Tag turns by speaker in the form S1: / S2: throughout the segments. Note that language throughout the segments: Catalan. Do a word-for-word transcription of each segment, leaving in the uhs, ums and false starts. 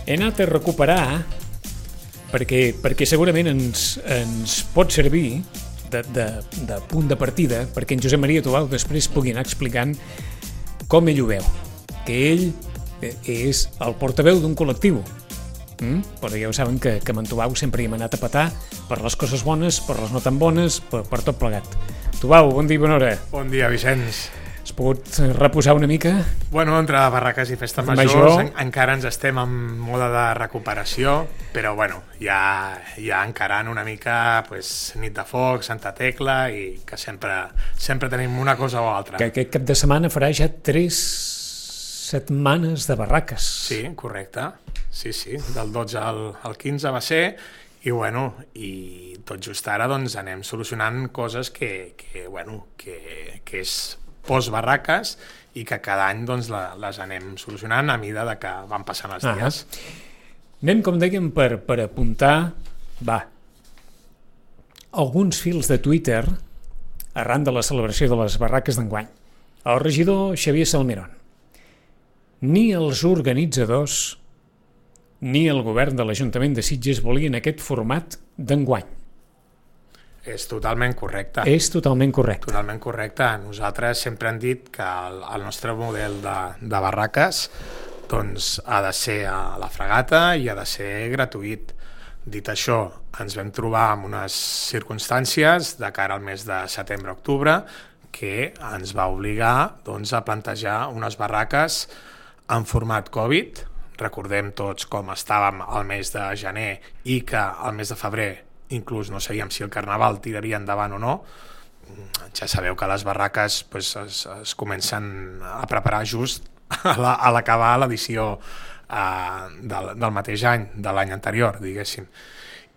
S1: he anat a recuperar perquè, perquè segurament ens, ens pot servir de, de, de punt de partida perquè en Josep Maria Tubau després pugui anar explicant com ell ho veu, que ell és el portaveu d'un col·lectiu. Mm? Però ja ho saben que, que amb en Tubau sempre hi hem anat a petar per les coses bones, per les no tan bones, per, per tot plegat. Tubau, bon dia i bona hora.
S2: Bon dia, Vicenç.
S1: Has pogut reposar una mica?
S2: Bueno, entre barraques i festes majors Major. en, encara ens estem en mode de recuperació, però bueno, ja, ja encarant una mica pues, nit de foc, Santa Tecla, i que sempre, sempre tenim una cosa o altra.
S1: Que aquest cap de setmana farà ja tres setmanes de barraques.
S2: Sí, correcte. Sí, sí, del dotze al, al quinze va ser, i bueno, i tot just ara doncs anem solucionant coses que, que bueno, que, que és post-barraques i que cada any doncs, la, les anem solucionant a mida de que van passant els dies.
S1: Ah, anem, com dèiem, per, per apuntar va, alguns fils de Twitter arran de la celebració de les barraques d'enguany. El regidor Xavier Salmerón. Ni els organitzadors ni el govern de l'Ajuntament de Sitges volien aquest format d'enguany.
S2: És totalment correcte.
S1: És totalment correcte.
S2: Totalment correcte. Nosaltres sempre hem dit que el, el nostre model de, de barraques doncs, ha de ser a la fregata i ha de ser gratuït. Dit això, ens vam trobar en unes circumstàncies de cara al mes de setembre-octubre que ens va obligar doncs, a plantejar unes barraques en format Covid. Recordem tots com estàvem al mes de gener i que al mes de febrer inclús no sabíem si el Carnaval tiraria endavant o no. Ja sabeu que les barraques pues, es, es comencen a preparar just a l'acabar la, l'edició uh, del, del mateix any, de l'any anterior, diguéssim.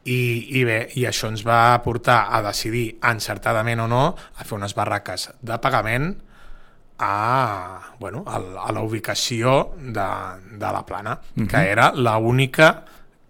S2: I, i bé, i això ens va portar a decidir encertadament o no a fer unes barraques de pagament a, bueno, a, a la ubicació de, de la Plana, mm-hmm. que era l'única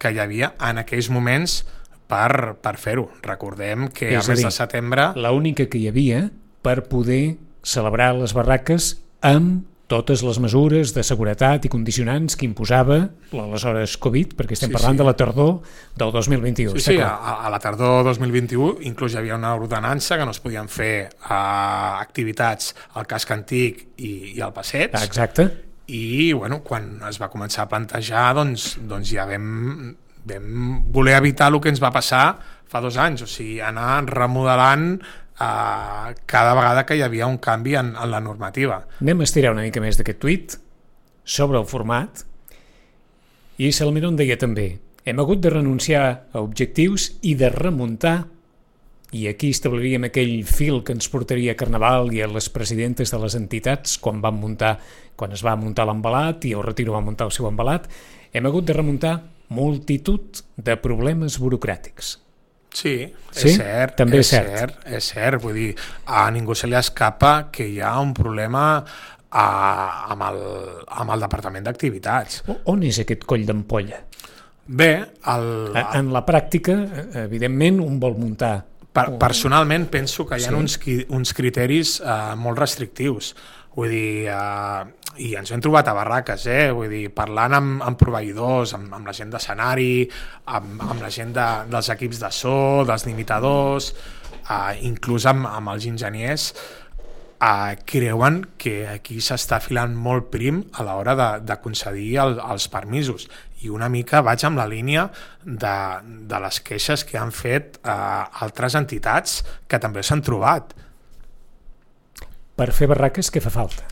S2: que hi havia en aquells moments per, per fer-ho. Recordem que al mes de setembre...
S1: L'única que hi havia per poder celebrar les barraques amb totes les mesures de seguretat i condicionants que imposava l'aleshores Covid, perquè estem sí, parlant sí. de la tardor del dos mil vint-i-u.
S2: Sí, sí, a, a la tardor dos mil vint-i-u inclús hi havia una ordenança que no es podien fer uh, activitats al casc antic i, i al passeig.
S1: Exacte.
S2: I bueno, quan es va començar a plantejar doncs, doncs ja vam... vam voler evitar el que ens va passar fa dos anys, o sigui, anar remodelant eh, cada vegada que hi havia un canvi en, en la normativa.
S1: Anem a estirar una mica més d'aquest tuit sobre el format i Salmerón deia també: hem hagut de renunciar a objectius i de remuntar, i aquí establiríem aquell fil que ens portaria a Carnaval i a les presidentes de les entitats quan van muntar, quan es va muntar l'embalat i el Retiro va muntar el seu embalat, hem hagut de remuntar multitud de problemes burocràtics.
S2: Sí,
S1: sí?
S2: és cert,
S1: també
S2: és
S1: és cert.
S2: cert, és cert, vull dir, a ningú se li escapa que hi ha un problema a, amb, el, amb el Departament d'Activitats.
S1: On és aquest coll d'ampolla?
S2: Bé, el...
S1: En la pràctica, evidentment, un vol muntar...
S2: Per, personalment penso que hi ha sí. uns, uns criteris uh, molt restrictius. Vull dir, uh, i ens hem trobat a barraques, eh? Vull dir, parlant amb, amb proveïdors, amb, amb la gent d'escenari, amb, amb la gent de, dels equips de so, dels limitadors, uh, inclús amb, amb els enginyers, uh, creuen que aquí s'està filant molt prim a l'hora de, de concedir el, els permisos. I una mica vaig amb la línia de, de les queixes que han fet uh, altres entitats que també s'han trobat.
S1: Per fer barraques, què fa falta?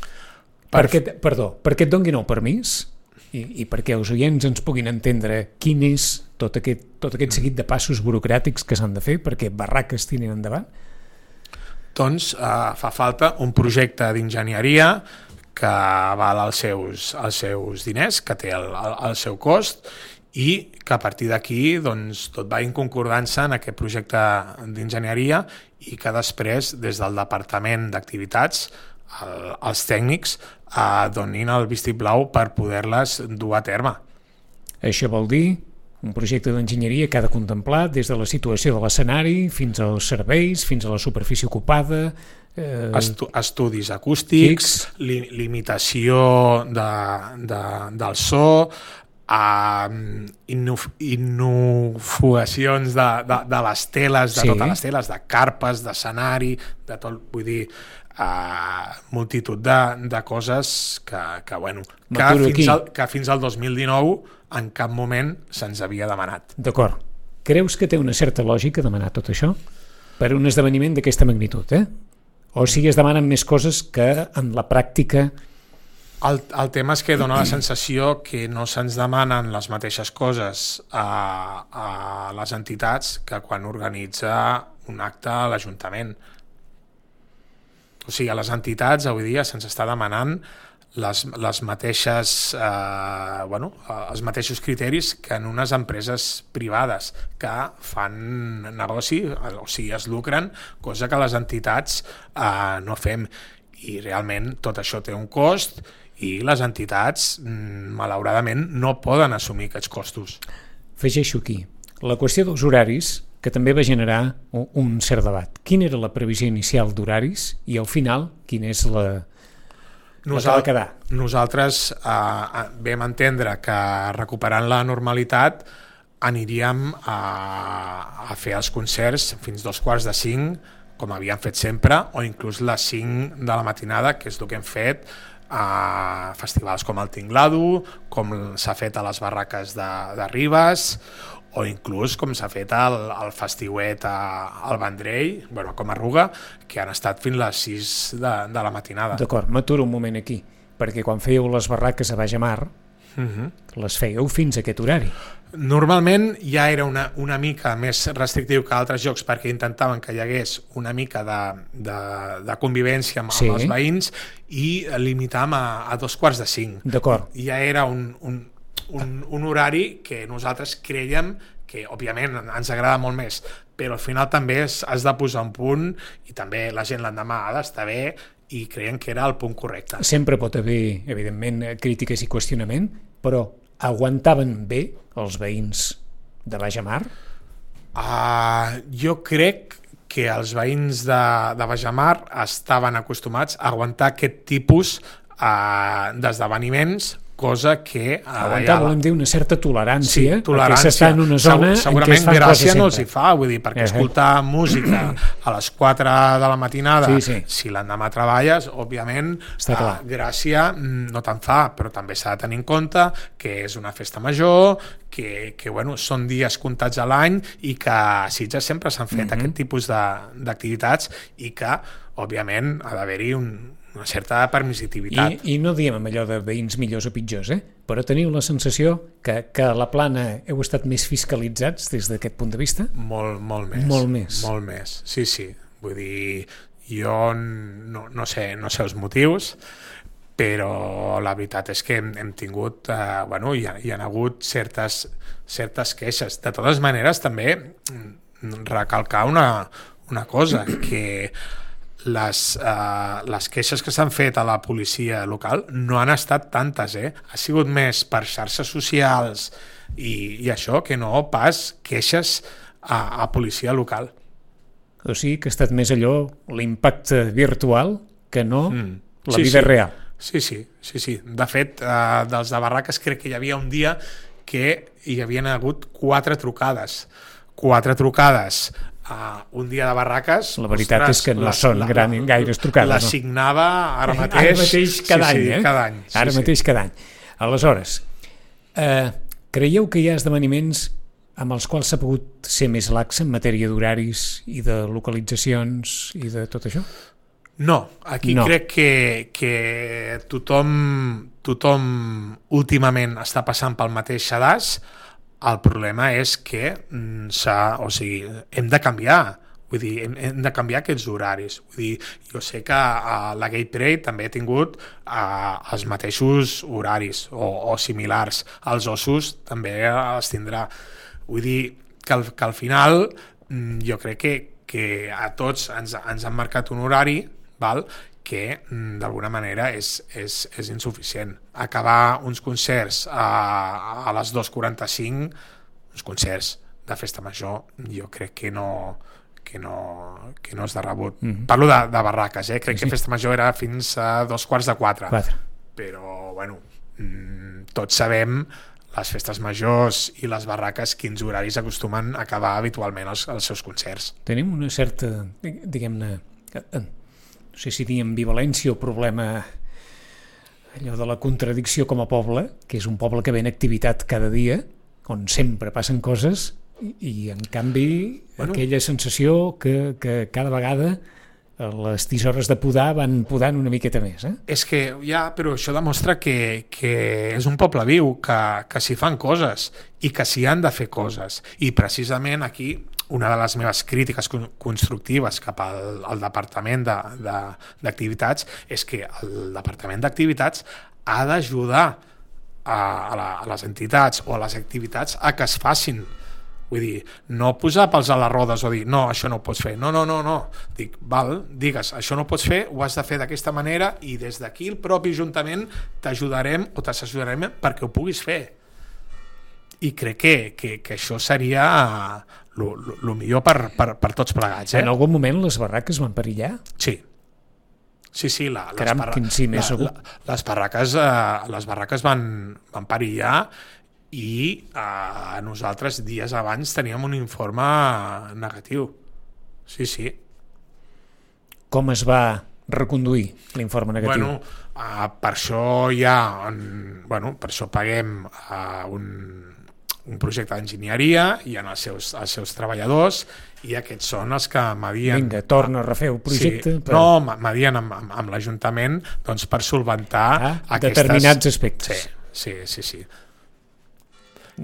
S1: Per... Perquè, perdó, perquè et donguin el permís i, i perquè els oients ens puguin entendre quin és tot aquest, tot aquest seguit de passos burocràtics que s'han de fer perquè barraques tirin endavant?
S2: Doncs uh, fa falta un projecte d'enginyeria que val els seus, els seus diners, que té el, el, el seu cost i que a partir d'aquí doncs, tot va en concordança en aquest projecte d'enginyeria i que després des del Departament d'Activitats el, els tècnics eh, donin el vistiplau per poder-les dur a terme.
S1: Això vol dir un projecte d'enginyeria que ha de contemplar des de la situació de l'escenari fins als serveis, fins a la superfície ocupada...
S2: Eh... Estu estudis acústics, li limitació de, de, del so, a innovacions de, de, de les teles, de sí. totes les teles, de carpes, d'escenari, de tot, vull dir, uh, multitud de, de coses que, que, bueno, que fins, al, que fins al dos mil dinou en cap moment se'ns havia demanat.
S1: D'acord. Creus que té una certa lògica demanar tot això per un esdeveniment d'aquesta magnitud, eh? O sigui, es demanen més coses que en la pràctica...
S2: El, el tema és que dona la sensació que no se'ns demanen les mateixes coses a, a les entitats que quan organitza un acte a l'Ajuntament. O sigui, a les entitats avui dia se'ns està demanant les, les mateixes, eh, bueno, els mateixos criteris que en unes empreses privades que fan negoci, o sigui, es lucren, cosa que les entitats eh, no fem. I realment tot això té un cost i les entitats, malauradament, no poden assumir aquests costos.
S1: Afegeixo aquí la qüestió dels horaris, que també va generar un cert debat. Quina era la previsió inicial d'horaris i al final quina és la, la que va quedar?
S2: Nosaltres eh, vam entendre que recuperant la normalitat aniríem a, a fer els concerts fins dos quarts de cinc, com havíem fet sempre, o inclús les cinc de la matinada, que és el que hem fet a festivals com el Tinglado, com s'ha fet a les barraques de, de Ribes, o inclús com s'ha fet al, al festiuet a, al Vendrell, bueno, com a Ruga, que han estat fins les sis de, de la matinada.
S1: D'acord, m'aturo un moment aquí, perquè quan fèieu les barraques a Baix Amar, uh-huh. les fèieu fins a aquest horari.
S2: Normalment ja era una, una mica més restrictiu que altres jocs perquè intentaven que hi hagués una mica de, de, de convivència amb, sí. amb els veïns i limitàvem a, a dos quarts de cinc.
S1: D'acord.
S2: Ja era un, un, un, un horari que nosaltres creiem que, òbviament, ens agrada molt més, però al final també has de posar un punt i també la gent l'endemà ha d'estar bé i creiem que era el punt correcte.
S1: Sempre pot haver, evidentment, crítiques i qüestionament, però aguantaven bé els veïns de Baix Amar?
S2: Uh, jo crec que els veïns de, de Baix Amar estaven acostumats a aguantar aquest tipus uh, d'esdeveniments, cosa que... Uh,
S1: aguantar, volem dir, una certa tolerància,
S2: sí, tolerància.
S1: Perquè s'està en una zona
S2: Segur,
S1: en què es fan coses sempre.
S2: No els hi fa, vull dir, perquè uh-huh. escoltar música a les quatre de la matinada, sí, sí. si l'endemà treballes, òbviament, uh, gràcia no te'n fa, però també s'ha de tenir en compte que és una festa major, que, que bueno, són dies comptats a l'any i que a Sitges sempre s'han fet uh-huh. aquest tipus d'activitats i que, òbviament, ha d'haver-hi un una certa permissivitat.
S1: I, I no diem amb allò de veïns millors o pitjors, eh? Però teniu la sensació que, que a la Plana heu estat més fiscalitzats des d'aquest punt de vista?
S2: Molt, molt més.
S1: Molt més.
S2: Molt més, sí, sí. Vull dir, jo no, no, sé, no sé els motius, però la veritat és que hem, hem tingut, eh, bueno, hi ha, hi ha hagut certes, certes queixes. De totes maneres, també recalcar una, una cosa, que Les, uh, les queixes que s'han fet a la policia local no han estat tantes, eh? Ha sigut més per xarxes socials i, i això que no pas queixes a, a policia local.
S1: O sigui que ha estat més allò l'impacte virtual que no mm. la
S2: sí,
S1: vida
S2: sí.
S1: real.
S2: Sí, sí, sí, sí. De fet, uh, dels de Barraques crec que hi havia un dia que hi havien hagut quatre trucades. Quatre trucades Uh, un dia de Barraques...
S1: La veritat ostres, és que no la, són la, gran, gaires trucades.
S2: L'assignava no? ara mateix...
S1: Ara mateix cada
S2: sí,
S1: any,
S2: sí,
S1: eh?
S2: Cada any. Sí,
S1: ara
S2: sí.
S1: mateix cada any. Aleshores, eh, creieu que hi ha esdeveniments amb els quals s'ha pogut ser més lax en matèria d'horaris i de localitzacions i de tot això?
S2: No, aquí no. crec que, que tothom, tothom últimament està passant pel mateix sedàs. El problema és que s'ha, o sigui, hem de canviar, vull dir, hem, hem de canviar aquests horaris. Vull dir, jo sé que uh, la Gay Parade també ha tingut uh, els mateixos horaris o, o similars. Els ossos també els tindrà. Vull dir que al, que al final jo crec que, que a tots ens, ens han marcat un horari, val?, que d'alguna manera és, és, és insuficient. Acabar uns concerts a, a les dos quaranta-cinc, uns concerts de festa major, jo crec que no, que no, que no és de rebut. Mm-hmm. Parlo de, de barraques, eh? crec sí, sí. que festa major era fins a dos quarts de quatre.
S1: quatre.
S2: Però, bueno, tots sabem les festes majors i les barraques, quins horaris acostumen a acabar habitualment els, els seus concerts.
S1: Tenim una certa, diguem-ne, no sé si dir ambivalència o problema, allò de la contradicció com a poble, que és un poble que ve en activitat cada dia, on sempre passen coses, i, i en canvi bueno, aquella sensació que, que cada vegada les tisores de podar van podant una miqueta més. Eh?
S2: És que ja, però això demostra que, que és un poble viu, que, que s'hi fan coses i que s'hi han de fer coses. I precisament aquí una de les meves crítiques constructives cap al, al Departament d'Activitats és que el Departament d'Activitats ha d'ajudar a, a, la, a les entitats o a les activitats a que es facin. Vull dir, no posar pals a les rodes o dir, no, això no ho pots fer. No, no, no, no. Dic, val, digues, això no ho pots fer, ho has de fer d'aquesta manera i des d'aquí el propi Ajuntament t'ajudarem o t'assessorarem perquè ho puguis fer. I crec que, que, que això seria el millor per, per, per tots plegats. Eh?
S1: En algun moment les barraques van perillar?
S2: Sí. Sí, sí, la,
S1: Caram,
S2: les, barra
S1: sí,
S2: la, la, les barraques, eh, les barraques van, van perillar i eh, nosaltres dies abans teníem un informe negatiu. Sí, sí.
S1: Com es va reconduir l'informe negatiu?
S2: Bueno, eh, per això hi ha, en, bueno, per això paguem eh, un, un projecte d'enginyeria, hi ha els seus, els seus treballadors i aquests són els que medien...
S1: Vinga, torna a refer el projecte.
S2: Sí, per... No, medien amb, amb, amb l'Ajuntament doncs, per solventar
S1: ah,
S2: aquestes...
S1: determinats aspectes.
S2: Sí, sí, sí, sí.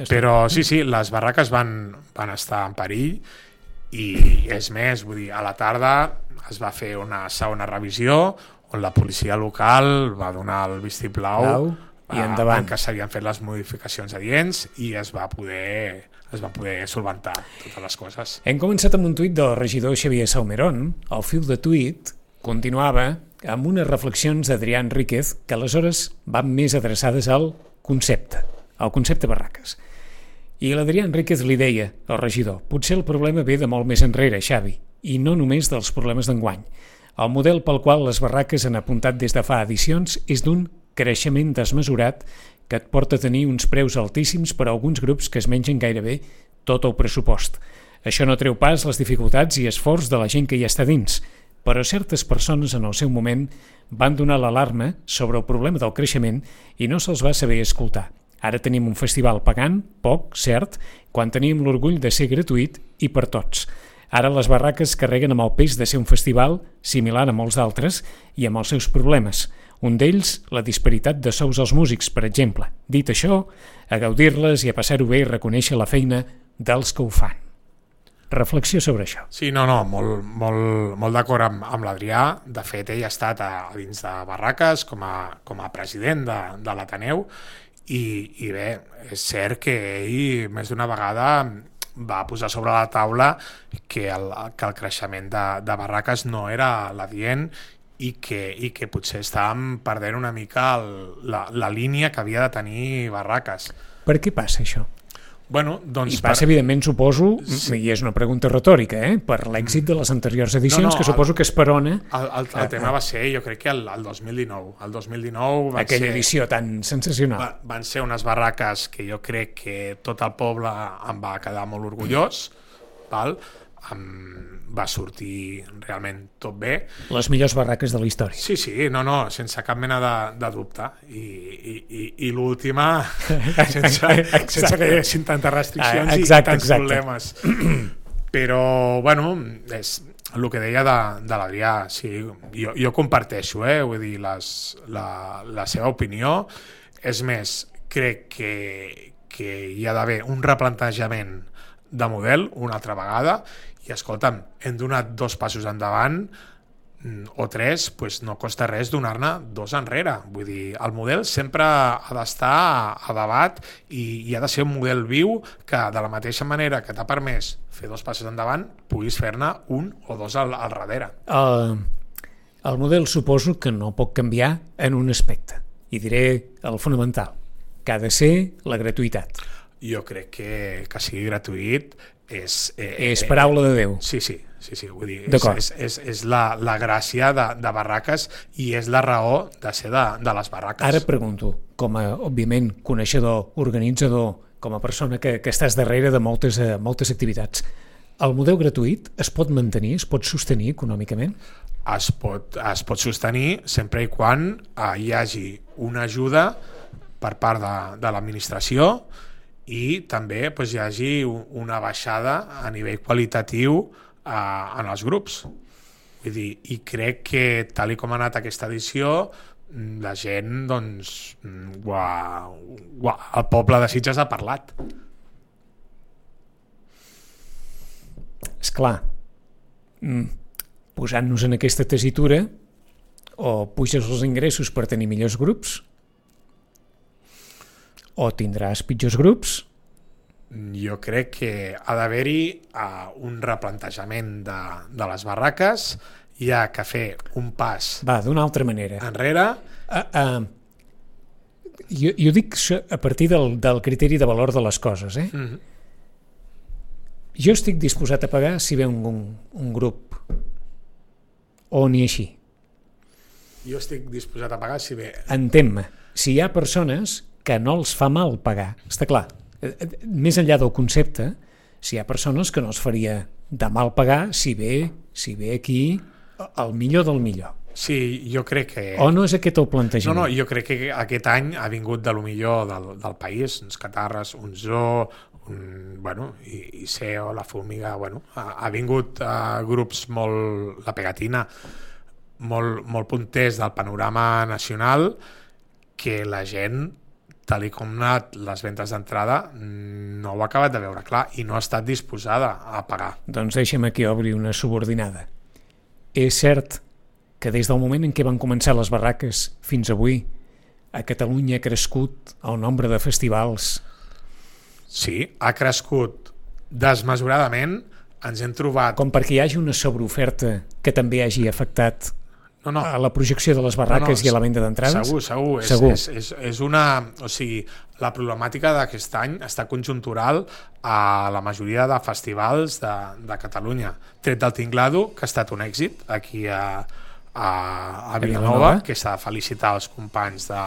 S2: Però sí, sí, les barraques van, van estar en perill i és més, vull dir, a la tarda es va fer una segona revisió on la policia local va donar el vistiplau
S1: Blau, i endavant.
S2: En què s'havien fet les modificacions adients i es va poder es va poder solventar totes les coses.
S1: Hem començat amb un tuit del regidor Xavier Salmerón. El fil de tuit continuava amb unes reflexions d'Adrià Enríquez que aleshores van més adreçades al concepte, al concepte barraques. I l'Adrià Enríquez li deia al regidor, potser el problema ve de molt més enrere, Xavi, i no només dels problemes d'enguany. El model pel qual les barraques han apuntat des de fa edicions és d'un creixement desmesurat que et porta a tenir uns preus altíssims per a alguns grups que es mengen gairebé tot el pressupost. Això no treu pas les dificultats i esforç de la gent que hi està dins, però certes persones en el seu moment van donar l'alarma sobre el problema del creixement i no se'ls va saber escoltar. Ara tenim un festival pagant, poc, cert, quan teníem l'orgull de ser gratuït i per tots. Ara les barraques carreguen amb el pes de ser un festival similar a molts d'altres i amb els seus problemes. Un d'ells, la disparitat de sous als músics, per exemple. Dit això, a gaudir-les i a passar-ho bé i reconèixer la feina dels que ho fan. Reflexió sobre això.
S2: Sí, no, no, molt, molt, molt d'acord amb, amb l'Adrià. De fet, ell ha estat a, a dins de barraques com a, com a president de, de l'Ateneu i, i bé, és cert que ell més d'una vegada va posar sobre la taula que el, que el creixement de, de barraques no era l'adient i que, i que potser estàvem perdent una mica el, la, la línia que havia de tenir barraques.
S1: Per què passa això?
S2: Bueno, doncs
S1: I passa, per... evidentment, suposo, sí. I és una pregunta retòrica, eh? Per l'èxit de les anteriors edicions, no, no, que suposo el, que esperona...
S2: El, el, el tema va ser, jo crec que el, el dos mil dinou. El dos mil dinou van
S1: Aquella
S2: ser,
S1: edició tan sensacional.
S2: Va, van ser unes barraques que jo crec que tot el poble em va quedar molt orgullós, val? Em va sortir realment tot bé.
S1: Les millors barraques de la història.
S2: Sí, sí, no, no, sense cap mena de, de dubte. I, i, i, i l'última, sense, sense que hi haguessin tantes restriccions exacte, i tants exacte. problemes. Però, bueno, és el que deia de, de l'Adrià. Sí, jo, jo comparteixo, eh, vull dir, les, la, la seva opinió. És més, crec que, que hi ha d'haver un replantejament de model una altra vegada i escolta'm, hem donat dos passos endavant o tres, doncs no costa res donar-ne dos enrere. Vull dir, el model sempre ha d'estar a debat i, i ha de ser un model viu que de la mateixa manera que t'ha permès fer dos passos endavant, puguis fer-ne un o dos al, al darrere.
S1: El, el model suposo que no pot canviar en un aspecte, i diré el fonamental, que ha de ser la gratuïtat.
S2: Jo crec que que sigui gratuït és...
S1: Eh, és paraula de Déu.
S2: Sí, sí, sí, sí, vull dir, és, és, és, és la, la gràcia de, de Barraques i és la raó de ser de, de les barraques.
S1: Ara pregunto, com a, òbviament, coneixedor, organitzador, com a persona que, que estàs darrere de moltes, uh, moltes activitats, el model gratuït es pot mantenir, es pot sostenir econòmicament?
S2: Es pot, es pot sostenir sempre i quan uh, hi hagi una ajuda per part de, de l'administració i també doncs, hi hagi una baixada a nivell qualitatiu eh, en els grups. Vull dir, i crec que tal i com ha anat aquesta edició, la gent, doncs, uà, uà, el poble de Sitges ha parlat.
S1: Esclar, posant-nos en aquesta tessitura, o puges els ingressos per tenir millors grups, o tindràs pitjors grups?
S2: Jo crec que ha d'haver-hi uh, un replantejament de, de les barraques, hi ha que fer un pas
S1: Va, d'una altra manera.
S2: enrere.
S1: Uh, uh, jo, jo dic a partir del, del criteri de valor de les coses. Eh?
S2: Mm-hmm.
S1: Jo estic disposat a pagar si ve un, un, un grup o ni així.
S2: Jo estic disposat a pagar si ve...
S1: Entén-me, si hi ha persones que no els fa mal pagar, està clar, més enllà del concepte, si hi ha persones que no els faria de mal pagar si ve, si ve aquí el millor del millor.
S2: Sí, jo crec que...
S1: O no és aquest el plantejament?
S2: No, no, jo crec que aquest any ha vingut de lo millor del, del país, uns Catarres, un Zoo, un, bueno, i, i C E O, la Formiga, bueno, ha, ha vingut uh, grups molt, la Pegatina, molt, molt punters del panorama nacional, que la gent, tal i com han anat les ventes d'entrada, no ho ha acabat de veure clar i no ha estat disposada a pagar.
S1: Doncs deixa'm aquí obrir una subordinada. És cert que des del moment en què van començar les barraques fins avui, a Catalunya ha crescut el nombre de festivals?
S2: Sí, ha crescut desmesuradament, ens hem trobat...
S1: Com perquè hi hagi una sobreoferta que també hagi afectat
S2: No, no.
S1: a la projecció de les barraques no, no, i a la venda d'entrades?
S2: Segur, segur.
S1: segur.
S2: És, és, és una... O sigui, la problemàtica d'aquest any està conjuntural a la majoria de festivals de, de Catalunya. Tret del Tinglado, que ha estat un èxit aquí a, a, a Vilanova, que s'ha de felicitar els companys de,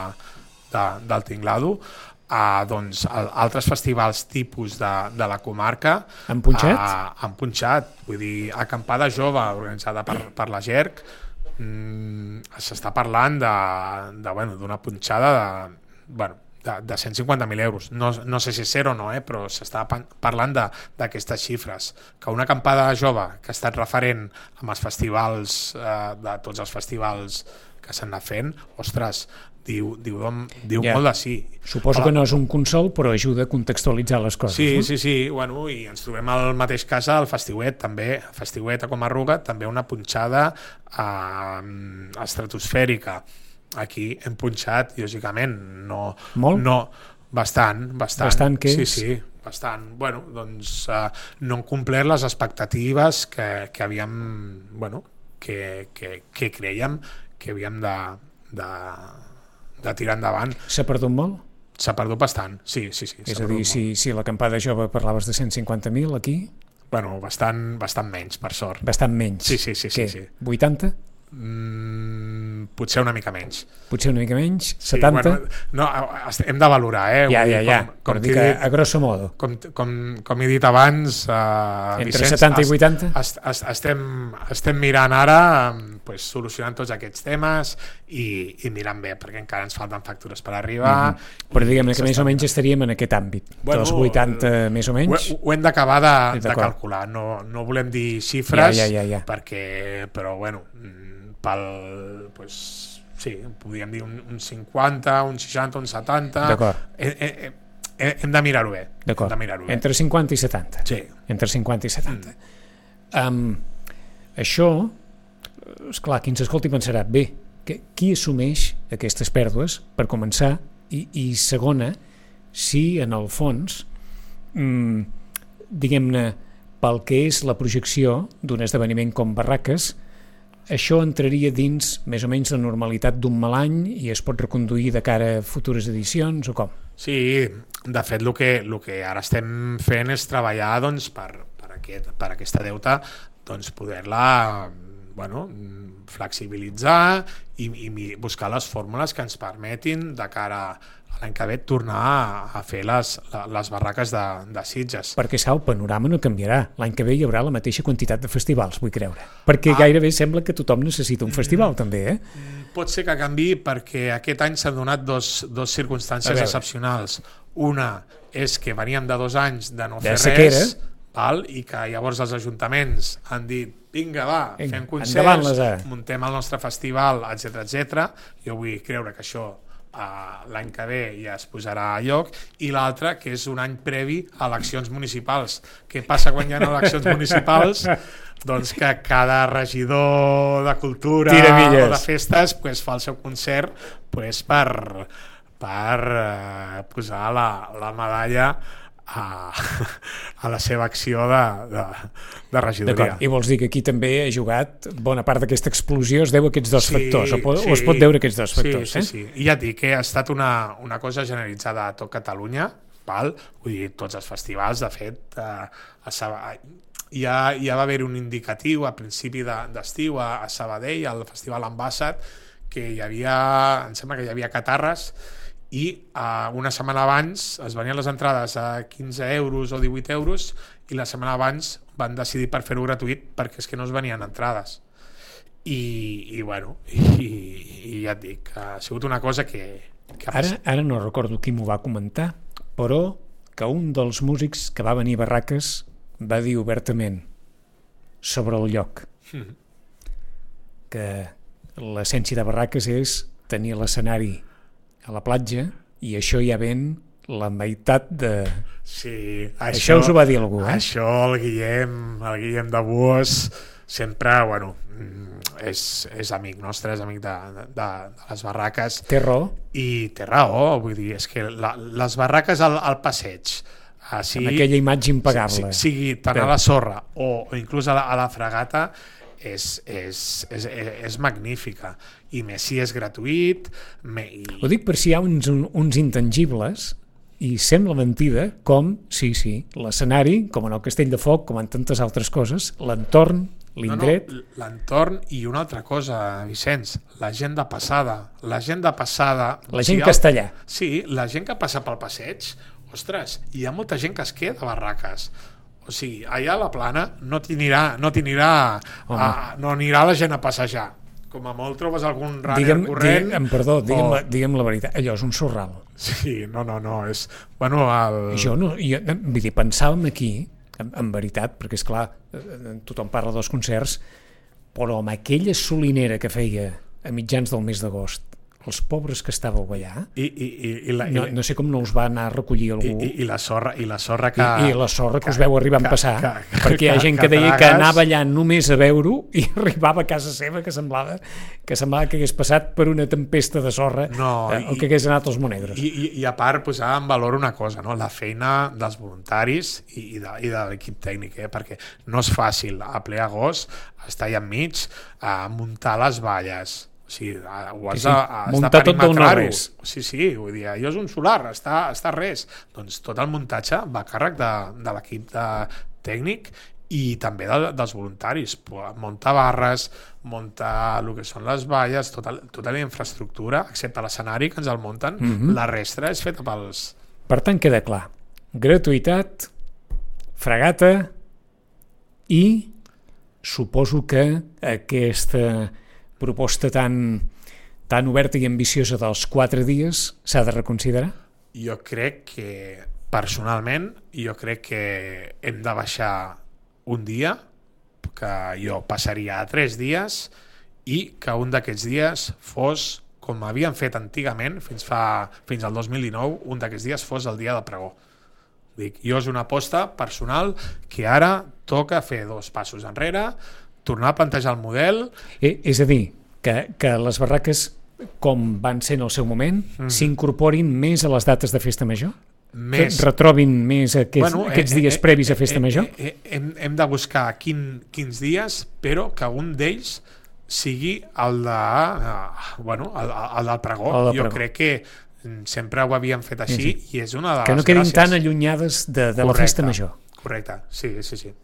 S2: de, del Tinglado. Uh, doncs, a, altres festivals tipus de, de la comarca
S1: han punxat?
S2: Uh, han punxat. Vull dir, Acampada Jove, organitzada per, per la G E R C, Mm, s'està parlant de, de, bueno, d'una punxada de, bueno, de, de cent cinquanta mil euros. No, no sé si és cert o no, eh, però s'està parlant d'aquestes xifres. Que una acampada jove que ha estat referent amb els festivals, eh, de tots els festivals que s'han anat fent, ostres, diu, diu, diu yeah. molt de sí.
S1: Suposo Hola. que no és un consol, però ajuda a contextualitzar les coses.
S2: Sí,
S1: no?
S2: sí, sí. Bueno, i ens trobem al mateix cas al Festiuet, també. Festiuet a Comarruga, també una punxada eh, estratosfèrica. Aquí hem punxat, lògicament, no...
S1: Molt?
S2: No, bastant, bastant.
S1: Bastant, què
S2: sí,
S1: és?
S2: Sí, bastant. Bueno, doncs eh, no han complert les expectatives que, que havíem... Bueno, que, que, que creiem que havíem de, de, de tirar endavant.
S1: S'ha perdut molt?
S2: S'ha perdut bastant, sí, sí, sí.
S1: És a dir, si, si l'acampada jove parlaves de cent cinquanta mil aquí...
S2: Bueno, bastant, bastant menys, per sort.
S1: Bastant menys?
S2: Sí, sí, sí.
S1: Què?
S2: sí, sí.
S1: vuitanta?
S2: Mm, potser una mica menys.
S1: Potser una mica menys?
S2: Sí,
S1: setanta?
S2: bueno, no, hem de valorar, eh?
S1: Ja, ja, ja.
S2: Com, com
S1: dit, a, a grosso modo.
S2: Com, com, com he dit abans... Eh,
S1: Entre
S2: Vicenç,
S1: setanta i vuitanta?
S2: Est, est, estem, estem mirant ara, pues, solucionant tots aquests temes i, i mirant bé, perquè encara ens falten factures per arribar. Mm-hmm.
S1: Però diguem-ne que més o menys estaríem en aquest àmbit. Bueno, dels vuitanta més o menys?
S2: Ho, ho hem d'acabar de, de calcular. No, no volem dir xifres,
S1: ja, ja, ja, ja.
S2: perquè, però bueno... pel, pues, sí, podríem dir un, un cinquanta, un seixanta, un setanta.
S1: D'acord.
S2: Eh, eh, eh, hem de mirar-ho bé.
S1: D'acord.
S2: Mirar
S1: Entre cinquanta i setanta.
S2: Sí.
S1: Entre cinquanta i setanta. Mm. Um, això, esclar, qui ens escolti pensarà, bé, que, qui assumeix aquestes pèrdues, per començar, i, i segona, si en el fons, mm, diguem-ne, pel que és la projecció d'un esdeveniment com Barraques, això entraria dins més o menys la normalitat d'un mal any i es pot reconduir de cara a futures edicions o com?
S2: Sí, de fet el que, el que ara estem fent és treballar doncs, per, per, aquest, per aquesta deuta doncs poder-la bueno, flexibilitzar i, i buscar les fórmules que ens permetin de cara a l'any que ve tornar a, a fer les, les barraques de, de Sitges.
S1: Perquè, Sau, el panorama no canviarà. L'any que ve hi haurà la mateixa quantitat de festivals, vull creure. Perquè ah. gairebé sembla que tothom necessita un festival, mm. també, eh?
S2: Pot ser que canvi perquè aquest any s'han donat dos, dos circumstàncies excepcionals. Una és que veníem de dos anys de no
S1: de
S2: fer
S1: sequera.
S2: res, val? I que llavors els ajuntaments han dit vinga, va, vinga, fem
S1: concerts,
S2: muntem el nostre festival, etcètera etcètera. Jo vull creure que això Uh, l'any que ve ja es posarà a lloc, i l'altre que és un any previ a eleccions municipals. Què passa quan hi ha eleccions municipals? Doncs que cada regidor de cultura o de festes pues, fa el seu concert pues, per, per uh, posar la, la medalla a, a la seva acció de, de, de regidoria.
S1: I vols dir que aquí també ha jugat bona part d'aquesta explosió, es deu a aquests dos
S2: sí,
S1: factors, o, pot,
S2: sí,
S1: o es pot veure aquests dos factors?
S2: Sí,
S1: eh?
S2: sí, sí. I ja et dic que ha estat una, una cosa generalitzada a tot Catalunya, val? Vull dir, tots els festivals, de fet, eh, a Sabadell, ja, ja va haver un indicatiu a principi d'estiu de, a, a Sabadell, al Festival Ambassat, que hi havia, em sembla que hi havia catarres, i uh, una setmana abans es venien les entrades a quinze euros o divuit euros i la setmana abans van decidir per fer-ho gratuït perquè és que no es venien entrades i, i bueno i, i ja et dic, ha sigut una cosa que, que
S1: ara, ara no recordo qui m'ho va comentar, però que un dels músics que va venir a Barraques va dir obertament sobre el lloc mm. que l'essència de Barraques és tenir l'escenari a la platja, i això ja ven la meitat de...
S2: Sí,
S1: això, això us ho va dir algú, eh?
S2: Això el Guillem, el Guillem de Buós, sempre, bueno, és, és amic nostre, és amic de, de, de les barraques.
S1: Té raó.
S2: I té raó, vull dir, és que la, les barraques al, al passeig,
S1: sigui, amb aquella imatge impagable.
S2: Sigui, sigui tant a la sorra o, o inclús a la, a la fregata, És, és, és, és magnífica, i més si és gratuït. Me, i...
S1: Ho dic per si hi ha uns, uns intangibles, i sembla mentida, com, sí, sí, l'escenari, com en el Castell de Foc, com en tantes altres coses, l'entorn, l'indret...
S2: No, no, l'entorn i una altra cosa, Vicenç, la gent de passada. La gent de passada...
S1: La gent si castellà.
S2: El, sí, la gent que passa pel passeig, ostres, hi ha molta gent que es queda a Barraques. O sigui, allà a la plana no t'anirà no t'anirà a, no anirà la gent a passejar. Com a molt trobes algun runner
S1: digue'm,
S2: corrent.
S1: Digue'm, perdó, digue'm, o... la, digue'm la veritat, allò és un sorral.
S2: Sí, no, no, no, és... Bueno, el...
S1: Jo no, jo, vull dir, pensàvem aquí, en, en veritat, perquè és clar, tothom parla dels concerts, però amb aquella solinera que feia a mitjans del mes d'agost, els pobres que estàveu allà,
S2: I, i, i, i la,
S1: no, no sé com no us va anar a recollir algú.
S2: I, i, i la sorra, i la sorra que...
S1: I, i la sorra que, que us veu arribar
S2: que,
S1: a passar,
S2: que, que,
S1: perquè hi ha gent que,
S2: que
S1: deia
S2: tragues...
S1: que anava allà només a veure-ho i arribava a casa seva que semblava que semblava que hagués passat per una tempesta de sorra,
S2: no,
S1: eh, o
S2: i,
S1: que hagués anat als Monegros.
S2: I, i, i a part posar en valor una cosa, no? La feina dels voluntaris i, i, de, i de l'equip tècnic, eh? Perquè no és fàcil a ple agost estar allà enmig a muntar les valles. O sigui, ho has
S1: sí, sí.
S2: de,
S1: muntar tot del no-res.
S2: Sí, sí, vull dir, allò és un solar, està, està res. Doncs tot el muntatge va a càrrec de, de l'equip de, tècnic i també de, dels voluntaris. Muntar barres, muntar el que són les valles, tota, tota la infraestructura, excepte l'escenari que ens el munten, mm-hmm. la resta és feta pels...
S1: Per tant, queda clar. Gratuïtat, fregata i suposo que aquesta proposta tan, tan oberta i ambiciosa dels quatre dies s'ha de reconsiderar?
S2: Jo crec que, personalment, jo crec que hem de baixar un dia, que jo passaria a tres dies, i que un d'aquests dies fos, com havien fet antigament, fins, fa, fins al dos mil dinou, un d'aquests dies fos el dia del pregó. Dic, jo és una aposta personal que ara toca fer dos passos enrere, tornar a plantejar el model...
S1: Eh, és a dir, que, que les barraques, com van ser en el seu moment, mm. s'incorporin més a les dates de festa major? Més... Retrobin més aquests, bueno, aquests eh, dies eh, previs a festa eh, major?
S2: Eh, eh, hem, hem de buscar quin, quins dies, però que un d'ells sigui el, de, uh, bueno, el, el del pregó. El del jo pregó. Crec que sempre ho havíem fet així, sí, sí. I és una de les
S1: que no quedin
S2: gràcies.
S1: Tan allunyades de, de la festa major.
S2: Correcte, sí, sí, sí.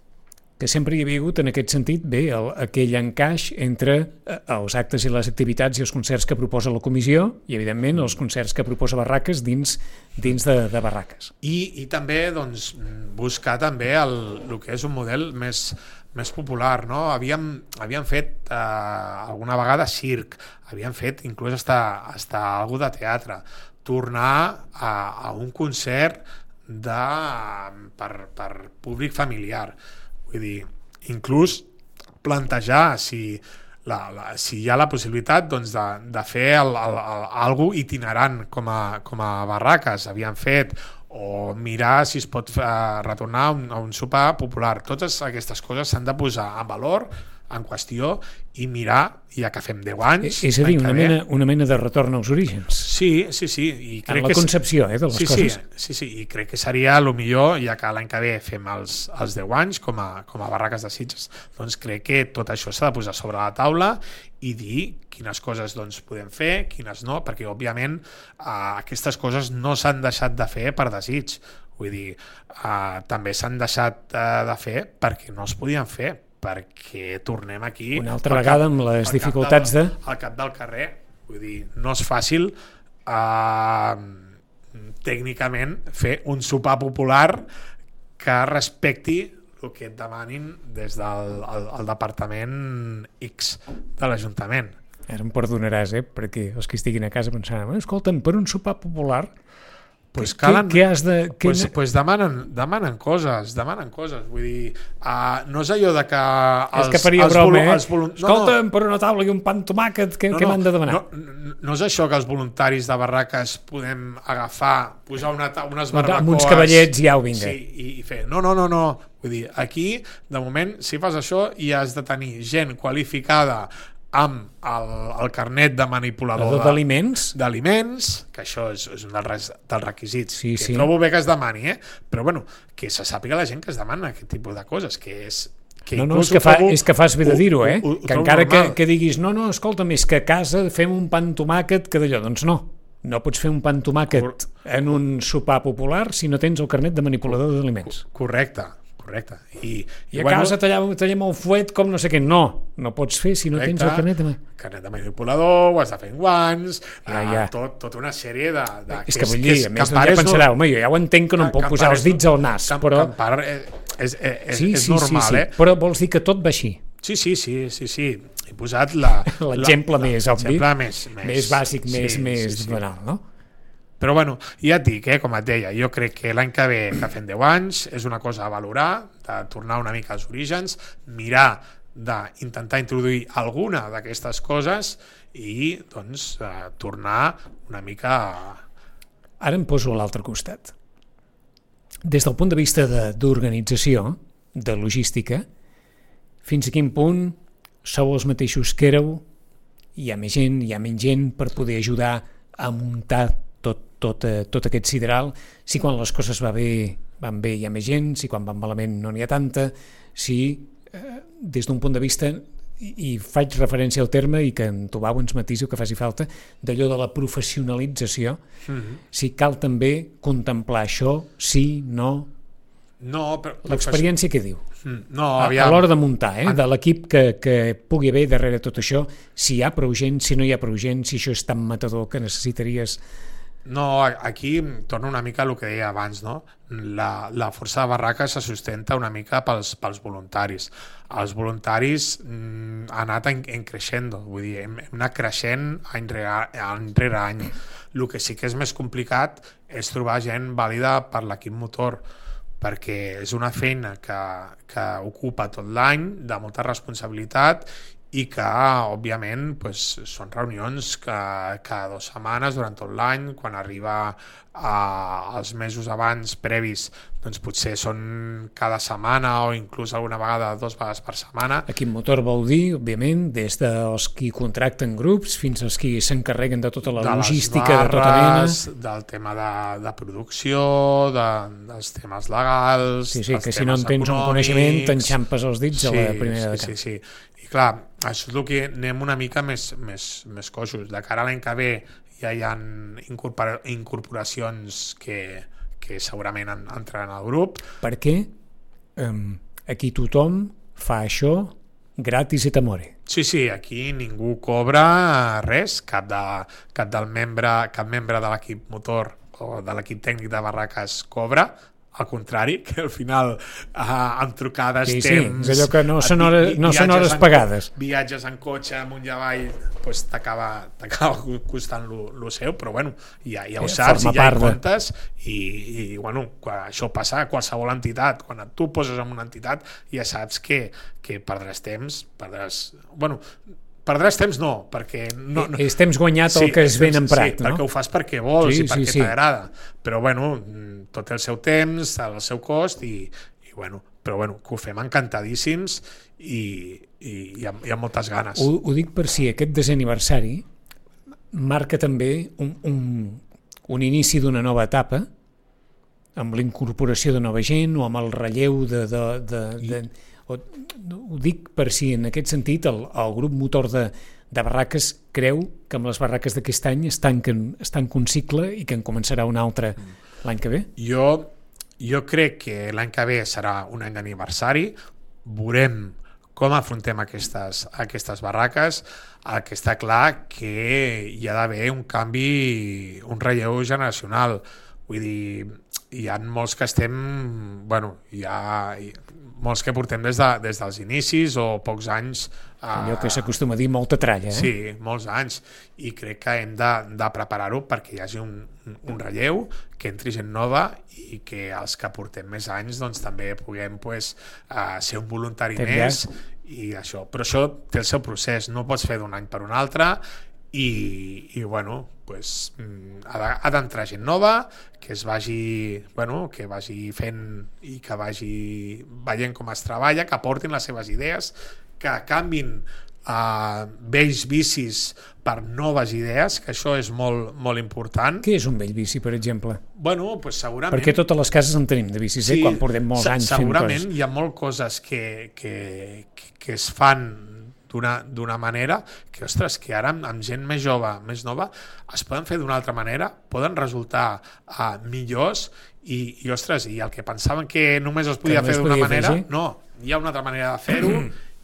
S1: que sempre hi havia hagut en aquest sentit, bé, el, aquell encaix entre els actes i les activitats i els concerts que proposa la comissió i, evidentment, els concerts que proposa Barraques dins, dins de, de Barraques.
S2: I, i també doncs, buscar també el, el que és un model més, més popular, no? Havíem, havíem fet eh, alguna vegada circ, havíem fet inclús hasta, hasta algo de teatre, tornar a, a un concert de, per, per públic familiar. Vull dir, inclús plantejar si, la, la, si hi ha la possibilitat doncs, de, de fer el, el, el, algo itinerant com a, com a Barraques havíem fet, o mirar si es pot uh, retornar a un, a un sopar popular. Totes aquestes coses s'han de posar en valor, en qüestió, i mirar, ja que fem deu anys...
S1: És a dir, una mena, una mena de retorn als orígens.
S2: Sí, sí, sí. I crec
S1: en la
S2: que
S1: concepció eh, de les
S2: sí,
S1: coses.
S2: Sí, sí, sí, i crec que seria el millor, ja que l'any que ve fem els, els deu anys com a, com a Barraques de Sitges, doncs crec que tot això s'ha de posar sobre la taula i dir quines coses doncs, podem fer, quines no, perquè òbviament eh, aquestes coses no s'han deixat de fer per desig. Vull dir, eh, també s'han deixat eh, de fer perquè no es podien fer, perquè tornem aquí
S1: una altra vegada
S2: cap,
S1: amb les dificultats
S2: del,
S1: de...
S2: al cap del carrer. Vull dir, no és fàcil eh, tècnicament fer un sopar popular que respecti el que et demanin des del el, el departament X de l'Ajuntament.
S1: Ara em perdonaràs, eh? Perquè els que estiguin a casa pensaran, escolta'm, per un sopar popular
S2: Pues
S1: què,
S2: calen,
S1: què has de... Què...
S2: Pues, pues demanen, demanen coses, demanen coses. Vull dir, uh, no és allò de que... Els,
S1: és que faria
S2: els
S1: broma, eh?
S2: Volunt...
S1: Escolta'm,
S2: no, no.
S1: per una taula i un pa amb tomàquet, què,
S2: no,
S1: què
S2: no,
S1: m'han de demanar?
S2: No, no és això que els voluntaris de Barraques podem agafar, posar una, unes barbacoes...
S1: Amb uns cavallets ja ho vinga.
S2: Sí, i, i fer... No, no, no, no. Vull dir, aquí, de moment, si fas això, hi has de tenir gent qualificada amb el, el carnet de manipulador
S1: d'aliments,
S2: d'aliments, que això és, és un dels, dels requisits,
S1: sí,
S2: que
S1: sí.
S2: trobo bé que es demani, eh? Però bueno, que se sàpiga la gent que es demana aquest tipus de coses, que és... Que
S1: no, no, és que, fa, és que fas bé de dir-ho, eh?
S2: Ho, ho, ho
S1: que encara que,
S2: normal.
S1: que diguis, no, no, escolta'm, és que a casa fem un pa amb tomàquet que d'allò, doncs no, no pots fer un pa amb tomàquet Cor... en un sopar popular si no tens el carnet de manipulador d'aliments.
S2: Correcte. Correcte. I,
S1: I,
S2: i
S1: a
S2: bueno,
S1: casa tallem, tallem el fuet com no sé què. No, no pots fer si no correcte, tens el carnet de...
S2: carnet de manipulador, ho has de fer en guants,
S1: ja, ja.
S2: Tot, tota una sèrie de... de
S1: és que, que vull dir, a més, ja pensarà, no, home, jo ja ho entenc que no em puc posar els dits al nas,
S2: camp,
S1: però...
S2: Campar és, és, és,
S1: sí,
S2: és
S1: sí,
S2: normal,
S1: sí, sí.
S2: eh?
S1: Però vols dir que tot va així?
S2: Sí, sí, sí, sí, sí. He posat la...
S1: l'exemple més obvi,
S2: més, més,
S1: més bàsic,
S2: sí,
S1: més,
S2: sí,
S1: més
S2: sí, sí.
S1: banal, no?
S2: Però bueno, ja et dic, eh, com et deia, jo crec que l'any que ve, que fem deu anys, és una cosa a valorar, de tornar una mica als orígens, mirar d'intentar introduir alguna d'aquestes coses i doncs eh, tornar una mica... A...
S1: Ara em poso a l'altre costat. Des del punt de vista d'organització, de, de logística, fins a quin punt sou els mateixos que éreu, hi ha més gent, hi ha menys gent per poder ajudar a muntar tot, tot, eh, tot aquest sideral, si quan les coses va bé, van bé hi ha més gent, si quan van malament no n'hi ha tanta, si eh, des d'un punt de vista, i, i faig referència al terme i que en Tobau ens matisi el que faci falta, d'allò de la professionalització, mm-hmm. si cal també contemplar això, sí, no...
S2: No, però...
S1: L'experiència què diu?
S2: No,
S1: aviam. A l'hora de muntar, eh? de l'equip que, que pugui haver darrere tot això, si hi ha prou gent, si no hi ha prou gent, si això és tan matador que necessitaries...
S2: No, aquí torna una mica el que deia abans, no? La, la força de Barraques se sustenta una mica pels, pels voluntaris. Els voluntaris mm, han anat en, en creixendo, vull dir, hem, hem anat creixent any rere, any rere any. El que sí que és més complicat és trobar gent vàlida per l'equip motor, perquè és una feina que, que ocupa tot l'any, de molta responsabilitat, i que, òbviament, pues, són reunions que cada dues setmanes durant tot l'any, quan arriba a, als mesos abans previs, doncs potser són cada setmana o inclús alguna vegada dues vegades per setmana.
S1: Equip motor vol dir, òbviament, des dels qui contracten grups fins als qui s'encarreguen de tota la
S2: de
S1: logística
S2: barres,
S1: de tota mena.
S2: Del tema de, de producció, de, dels temes legals,
S1: sí, sí,
S2: dels
S1: que si no en tens un coneixement t'enxampes els dits sí, a la primera de cap.
S2: Sí, sí, sí. I clar, això és el que anem una mica més, més, més coixos. De cara a l'any que ve ja hi ha incorpora, incorporacions que, que segurament entraran al grup.
S1: Perquè, um, aquí tothom fa això gratis et amore.
S2: Sí, sí, aquí ningú cobra res, cap, de, cap del membre, cap membre de l'equip motor o de l'equip tècnic de Barraques cobra, al contrari, que al final eh, amb trucades,
S1: sí,
S2: temps...
S1: Sí, és allò que no són hores, no són hores pagades.
S2: Viatges en cotxe amunt i avall, pues, t'acaba costant lo seu, però bueno, ja, ja ho
S1: eh,
S2: saps i ja hi
S1: de...
S2: comptes i, i bueno, quan això passa a qualsevol entitat, quan tu poses en una entitat ja saps que, que perdràs temps, perdràs... Bueno, perdràs temps no, perquè... No, no...
S1: És temps guanyat el sí, que és ben emprat,
S2: sí,
S1: no?
S2: perquè ho fas perquè vols
S1: sí,
S2: i perquè
S1: sí, sí.
S2: t'agrada, però bueno, tot el seu temps, el seu cost i, i bueno, però bueno, que ho fem encantadíssims i, i, i, amb, i amb moltes ganes.
S1: Ho, ho dic per si aquest desè aniversari marca també un, un, un inici d'una nova etapa amb l'incorporació de nova gent o amb el relleu de... de, de, de ho, ho dic per si en aquest sentit el, el grup motor de, de Barraques creu que amb les barraques d'aquest any es tanquen, es tanca un cicle i que en començarà un altre l'any que ve?
S2: Jo, jo crec que l'any que ve serà un any d'aniversari, veurem com afrontem aquestes, aquestes barraques. El que està clar que hi ha d'haver un canvi, un relleu generacional. Vull dir, hi ha molts que estem, bueno, hi ha molts que portem des, de, des dels inicis o pocs anys.
S1: Allò que s'acostuma a dir molta tralla, eh?
S2: Sí, molts anys, i crec que hem de, de preparar-ho perquè hi hagi un, un relleu, que entri gent nova i que els que portem més anys doncs, també puguem pues, uh, ser un voluntari
S1: Ten
S2: més
S1: ja.
S2: I això. Però això té el seu procés, no pots fer d'un any per un altre i, i bueno, pues, ha d'entrar gent nova que es vagi, bueno, que vagi fent i que vagi veient com es treballa, que aportin les seves idees, que canvin uh, vells vicis per noves idees, que això és molt, molt important.
S1: Què és un vell vici, per exemple?
S2: Bueno, pues segurament...
S1: Perquè totes les cases en tenim de vicis, sí, eh? Quan portem molts anys fent coses.
S2: Segurament hi ha moltes coses que, que, que, que es fan d'una manera que, ostres, que ara amb, amb gent més jove, més nova, es poden fer d'una altra manera, poden resultar uh, millors i, i, ostres, i el que pensaven que només es podia fer d'una manera, fer, sí? No, hi ha una altra manera de fer-ho.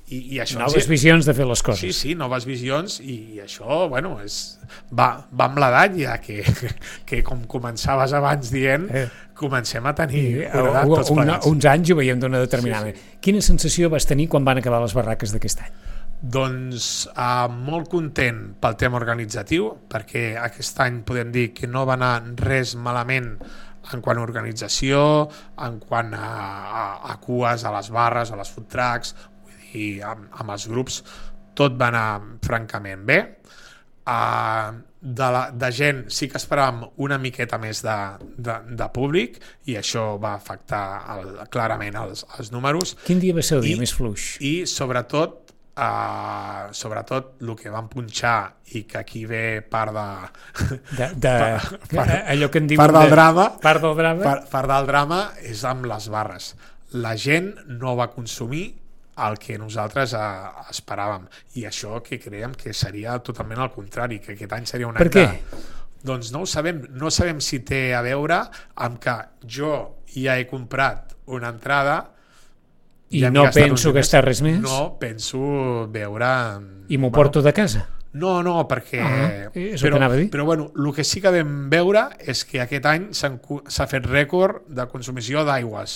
S2: I, i això
S1: noves ens... visions de fer les coses.
S2: Sí, sí, noves visions i, i això, bueno, és, va, va amb l'edat ja que, que com començaves abans dient, eh. comencem a tenir edat tots plegats.
S1: Uns anys ho veiem d'una determinada manera. Sí, sí. Quina sensació vas tenir quan van acabar les barraques d'aquest any?
S2: Doncs uh, molt content pel tema organitzatiu, perquè aquest any podem dir que no va anar res malament en quant a organització, en quant a, a, a cues, a les barres, a les food trucks, i amb, amb els grups tot va anar francament bé. Uh, de, la, de gent sí que esperàvem una miqueta més de, de, de públic i això va afectar el, clarament els, els números.
S1: Quin dia va ser el dia I, més fluix?
S2: I sobretot Uh, sobretot el que vam punxar i que aquí ve part de,
S1: de, de part, allò que en diuen
S2: part del
S1: de,
S2: drama
S1: part del drama
S2: part, part del drama és amb les barres. La gent no va consumir el que nosaltres uh, esperàvem i això que creiem que seria totalment al contrari, que aquest any seria un any
S1: per què?
S2: De, doncs no ho sabem, no sabem si té a veure amb que jo ja he comprat una entrada
S1: i ja no penso gastar res més?
S2: No, penso veure...
S1: I m'ho bueno, porto de casa?
S2: No, no, perquè...
S1: Ah, és
S2: però,
S1: el que anava a dir.
S2: Però bueno, el que sí que vam veure és que aquest any s'ha fet rècord de consumició d'aigües.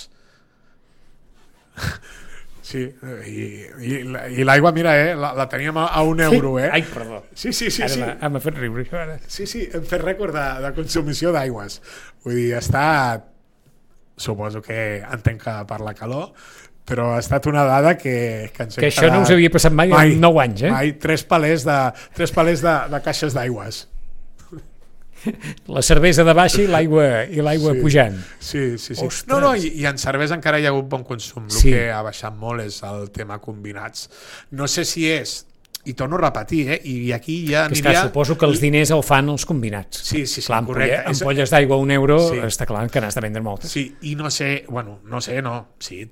S2: Sí, i, i, i l'aigua, mira, eh, la, la teníem a, a un euro, eh?
S1: Ai, perdó.
S2: Sí, sí, sí.
S1: Ara
S2: sí.
S1: La, m'ha fet riure això, ara.
S2: Sí, sí, hem fet rècord de, de consumició d'aigües. Vull dir, està... Suposo que entenc que per la calor, però ha estat una dada que, que ens
S1: que això no us havia passat mai, mai en nou anys, eh?
S2: Mai, tres palers de, tres palers de, de caixes d'aigües.
S1: La cervesa de baixa i l'aigua i l'aigua
S2: sí,
S1: pujant.
S2: Sí, sí, sí. No, no, i, i en cervesa encara hi ha hagut bon consum. El
S1: sí.
S2: que ha baixat molt és el tema combinats. No sé si és... I torno a repetir, eh? I aquí ja
S1: que
S2: aniria...
S1: Esclar, suposo que els diners el fan els combinats.
S2: Sí, sí, sí,
S1: clar,
S2: correcte.
S1: Ampolla, ampolles d'aigua a un euro, sí. Està clar que n'has de vendre moltes.
S2: Sí, i no sé, bueno, no sé, no, sí,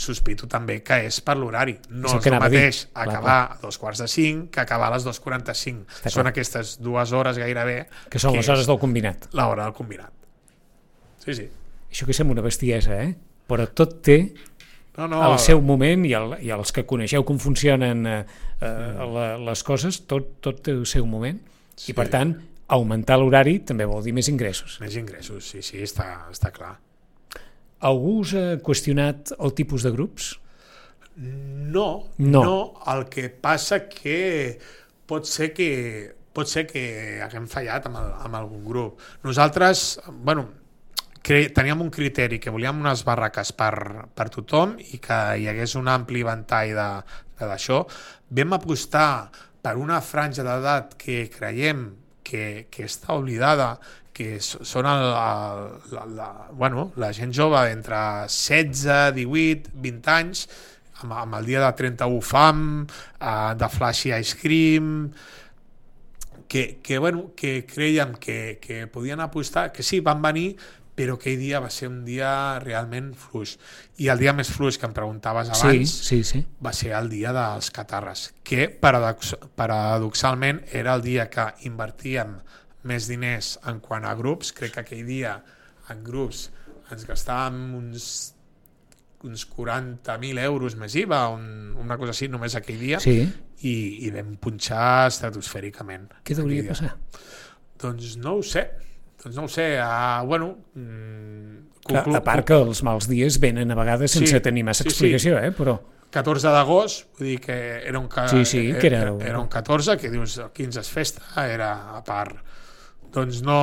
S2: sospito també que és per l'horari. No és el,
S1: és el
S2: mateix clar, acabar clar. a dos quarts de cinc que acabar a les dos quaranta-cinc. Està són clar. Aquestes dues hores gairebé...
S1: Que són que les hores del combinat.
S2: L'hora del combinat. Sí, sí.
S1: Això que sembla una bestiesa, eh? Però tot té
S2: no, no,
S1: al seu moment i, el, i els que coneixeu com funcionen eh, eh, la, les coses, tot, tot té el seu moment. Sí. I per tant, augmentar l'horari també vol dir més ingressos.
S2: Més ingressos, sí, sí, està, està clar.
S1: Algú us ha qüestionat el tipus de grups?
S2: No,
S1: no,
S2: no, el que passa que pot ser que pot ser que haguem fallat amb, el, amb algun grup. Nosaltres, bueno, cre teníem un criteri, que volíem unes barraques per, per tothom i que hi hagués un ampli ventall d'això. Vam apostar per una franja d'edat que creiem que, que està oblidada, que són el, el, la, la, bueno, la gent jove entre setze, divuit, vint anys, amb, amb el dia de trenta-u fam, eh, de Flashy Ice Cream, que, que, bueno, que creiem que, que podien apostar, que sí, van venir, però aquell dia va ser un dia realment fluix. I el dia més fluix que em preguntaves abans
S1: sí, sí, sí.
S2: va ser el dia dels catarres, que paradox paradoxalment era el dia que invertíem més diners en quant a grups. Crec que aquell dia en grups ens gastàvem uns, uns quaranta mil euros més I V A, un, una cosa així, només aquell dia,
S1: sí.
S2: i, i vam punxar estratosfèricament.
S1: Què hauria de passar?
S2: Doncs no ho sé. Doncs no ho sé, uh, bueno... Mm,
S1: Clar, a part que els mals dies venen a vegades sense sí, tenir massa sí, explicació, sí. eh? Però...
S2: catorze d'agost, vull dir que era un, ca...
S1: sí, sí, que era...
S2: era un catorze, que dius el quinze és festa, era a part. Doncs no...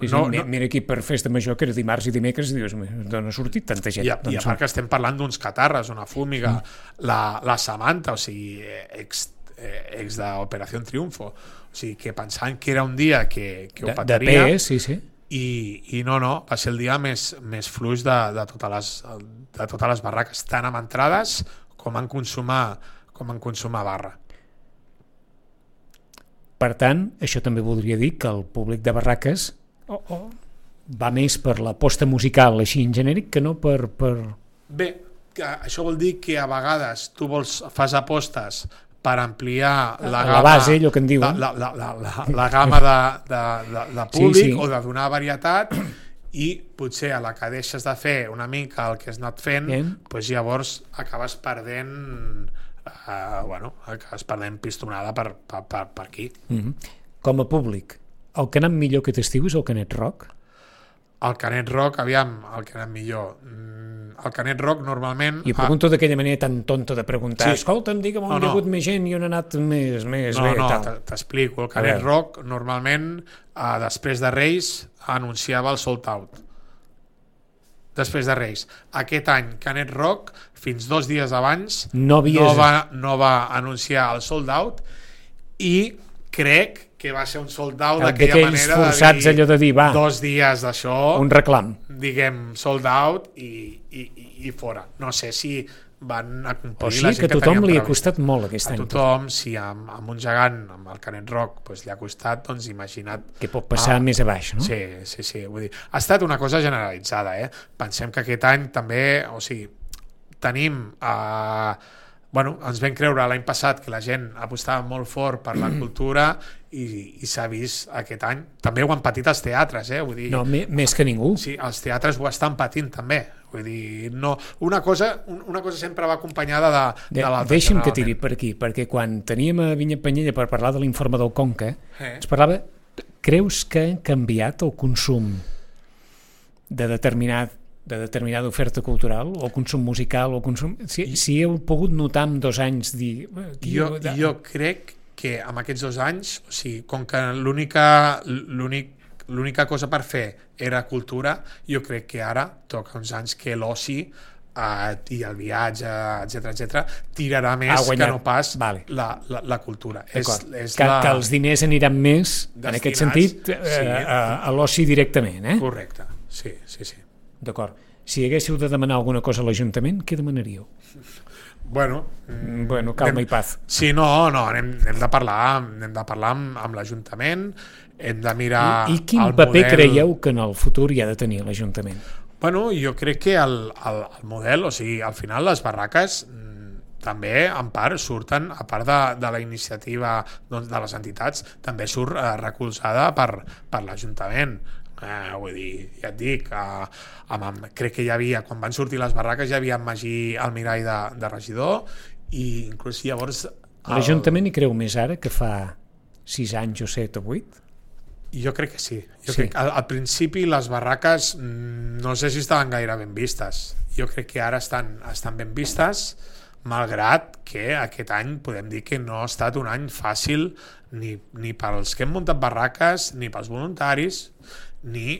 S1: Sí,
S2: no,
S1: sí,
S2: no...
S1: Mira aquí per festa major, que era dimarts i dimecres, dius, d'on ha sortit tanta gent?
S2: I a,
S1: doncs
S2: i a part que estem parlant d'uns catarres, una fúmiga, mm. la, la Samantha, o sigui, ex, ex d'Operació Triunfo, o sigui, que pensant que era un dia que, que ho pataria...
S1: De P, sí, sí.
S2: I, i no, no, va ser el dia més, més fluix de, de, totes les, de totes les barraques, tant amb entrades com en consumar, com en consumar barra.
S1: Per tant, això també voldria dir que el públic de barraques oh, oh, va més per l'aposta musical així en genèric que no per... per...
S2: Bé, que això vol dir que a vegades tu vols, fas apostes per ampliar la,
S1: la base, allò que en diuen.
S2: La, la, la, la, la gamma de, de, de, de públic, sí, sí. O de donar varietat, i potser a la que deixes de fer una mica el que has anat fent, doncs llavors acabes perdent uh, bueno, acabes perdent pistonada per, per, per, per aquí.
S1: Mm-hmm. Com a públic, el que ha anat millor aquest estiu és el Canet Rock?
S2: El Canet Rock, aviam, el que ha anat millor... El Canet Rock normalment...
S1: I pregunto ah, d'aquella manera tan tonta de preguntar, sí. Escolta'm, digue'm on no, no. hi ha hagut més gent i on ha anat més, més
S2: no,
S1: bé.
S2: No,
S1: no,
S2: t'explico. El Canet Rock normalment, eh, després de Reis, anunciava el sold out. Després de Reis. Aquest any, Canet Rock, fins dos dies abans,
S1: no,
S2: no, va, no va anunciar el sold out i crec que va ser un sold out d'aquella manera
S1: forçats, de dir, allò de dir va,
S2: dos dies d'això,
S1: un reclam,
S2: diguem sold out i, i, i fora. No sé si van a complir
S1: o sigui
S2: la gent
S1: que a tothom li ha costat molt aquest
S2: a
S1: any.
S2: A tothom, si amb, amb un gegant, amb el Canet Rock, doncs li ha costat, doncs imagina't...
S1: Que pot passar ah, més a baix, no?
S2: Sí, sí, sí. Vull dir, ha estat una cosa generalitzada, eh? Pensem que aquest any també, o sigui, tenim... Eh, bueno, ens vam creure l'any passat que la gent apostava molt fort per la cultura i, i s'ha vist aquest any. També ho han patit els teatres, eh? Vull dir,
S1: no, més que ningú.
S2: Sí, els teatres ho estan patint també. Vull dir, no, una, cosa, una cosa sempre va acompanyada de, de, de l'altra.
S1: Deixa'm que tiri per aquí, perquè quan teníem a Vinya Penyella per parlar de l'informe del Conca, eh. ens parlava, creus que ha canviat el consum de determinat de determinada oferta cultural, o consum musical, o consum... Si, si heu pogut notar en dos anys dir...
S2: Jo, jo crec que en aquests dos anys, o sigui, com que l'única l'únic l'única cosa per fer era cultura, jo crec que ara toca uns anys que l'oci eh, i el viatge, etcètera etcètera tirarà més que no pas vale. la, la, la cultura. És, és
S1: que,
S2: la...
S1: que els diners aniran més, destinats, en aquest sentit, eh, sí. a, a l'oci directament, eh?
S2: Correcte, sí, sí, sí.
S1: D'acord. Si haguéssiu de demanar alguna cosa a l'Ajuntament, què demanaríeu?
S2: Bueno,
S1: mm, bueno calma
S2: anem,
S1: i paz.
S2: Sí, no, no, anem, anem de parlar, anem de parlar amb, amb l'Ajuntament, hem de mirar
S1: I, i quin
S2: el
S1: paper
S2: model...
S1: creieu que en el futur hi ha de tenir l'Ajuntament?
S2: Bueno, jo crec que el, el, el model, o sigui, al final les barraques també, en part, surten, a part de, de la iniciativa doncs, de les entitats, també surt eh, recolzada per, per l'Ajuntament. Eh, vull dir, ja et dic, eh, amb, amb, crec que hi havia, quan van sortir les barraques, hi havia en Magí Almirall de, de regidor, i inclús llavors... El...
S1: L'Ajuntament hi creu més ara que fa sis anys o set o vuit?
S2: Jo crec que sí. Jo
S1: sí.
S2: crec que al, al principi les barraques no sé si estaven gaire ben vistes. Jo crec que ara estan, estan ben vistes, malgrat que aquest any podem dir que no ha estat un any fàcil ni, ni pels que hem muntat barraques, ni pels voluntaris, ni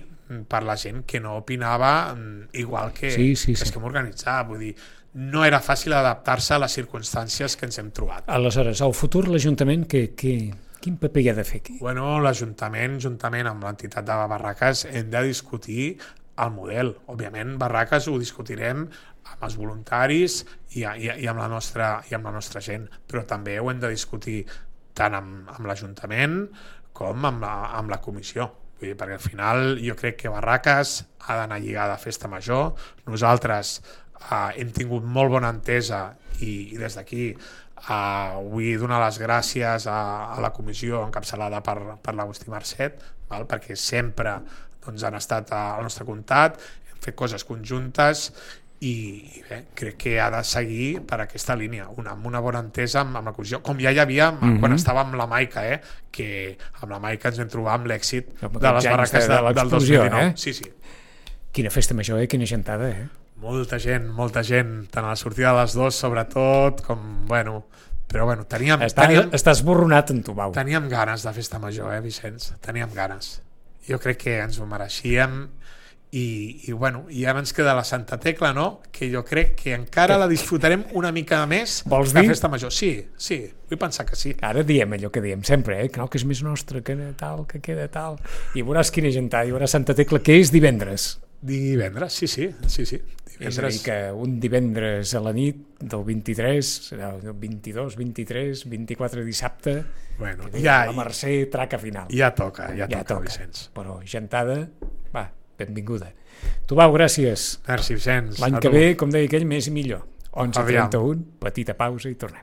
S2: per la gent que no opinava igual que,
S1: sí, sí,
S2: que
S1: sí.
S2: els que hem organitzat. Vull dir, no era fàcil adaptar-se a les circumstàncies que ens hem trobat.
S1: Aleshores, al futur l'Ajuntament que, que, quin paper hi ha de fer aquí?
S2: Bueno, l'Ajuntament, juntament amb l'entitat de barraques, hem de discutir el model. Òbviament, barraques ho discutirem amb els voluntaris i, i, i, amb la nostra, i amb la nostra gent, però també ho hem de discutir tant amb, amb l'Ajuntament com amb la, amb la comissió. Vull dir, perquè al final jo crec que barraques ha d'anar lligada a festa major. Nosaltres eh, hem tingut molt bona entesa i, i des d'aquí eh, vull donar les gràcies a, a la comissió encapçalada per, per l'Agustí Marcet, val? Perquè sempre doncs, han estat al nostre comptat, hem fet coses conjuntes i, i bé, crec que ha de seguir per aquesta línia, una, amb una bona entesa amb, amb la comissió, com ja hi havia mm -hmm. quan estava amb la Maica, eh? Que amb la Maica ens vam trobar amb l'èxit de les barraques de, de, del dos mil dinou. Eh? Sí, sí.
S1: Quina festa major, eh? Quina gentada, eh?
S2: Molta gent, molta gent, tant a la sortida de les dues, sobretot, com, bueno... Però, bueno, teníem...
S1: Està,
S2: teníem
S1: estàs borronat en tu, Bau.
S2: Teníem ganes de festa major, eh, Vicenç? Teníem ganes. Jo crec que ens ho mereixíem i, i bueno, i ara ens queda la Santa Tecla, no? Que jo crec que encara la disfrutarem una mica més
S1: Vols
S2: que
S1: dir?
S2: festa major. Sí, sí, vull pensar que sí.
S1: Ara diem allò que diem sempre, eh? Que no, que és més nostre, que tal, que queda tal... I veuràs quina gentada, i veuràs Santa Tecla, que és divendres.
S2: Divendres, sí, sí, sí, sí.
S1: Divendres. És a dir, que un divendres a la nit del vint-i-tres, el vint-i-dos, vint-i-tres, vint-i-quatre dissabte,
S2: bueno,
S1: que
S2: ja,
S1: la Mercè traca final.
S2: Ja toca, ja,
S1: ja
S2: toca,
S1: toca,
S2: Vicenç.
S1: Però gentada, va, benvinguda. Tu, Bau, gràcies.
S2: Merci, Vicenç.
S1: L'any que ve, com deia aquell, més i millor. onze trenta-u, petita pausa i tornem.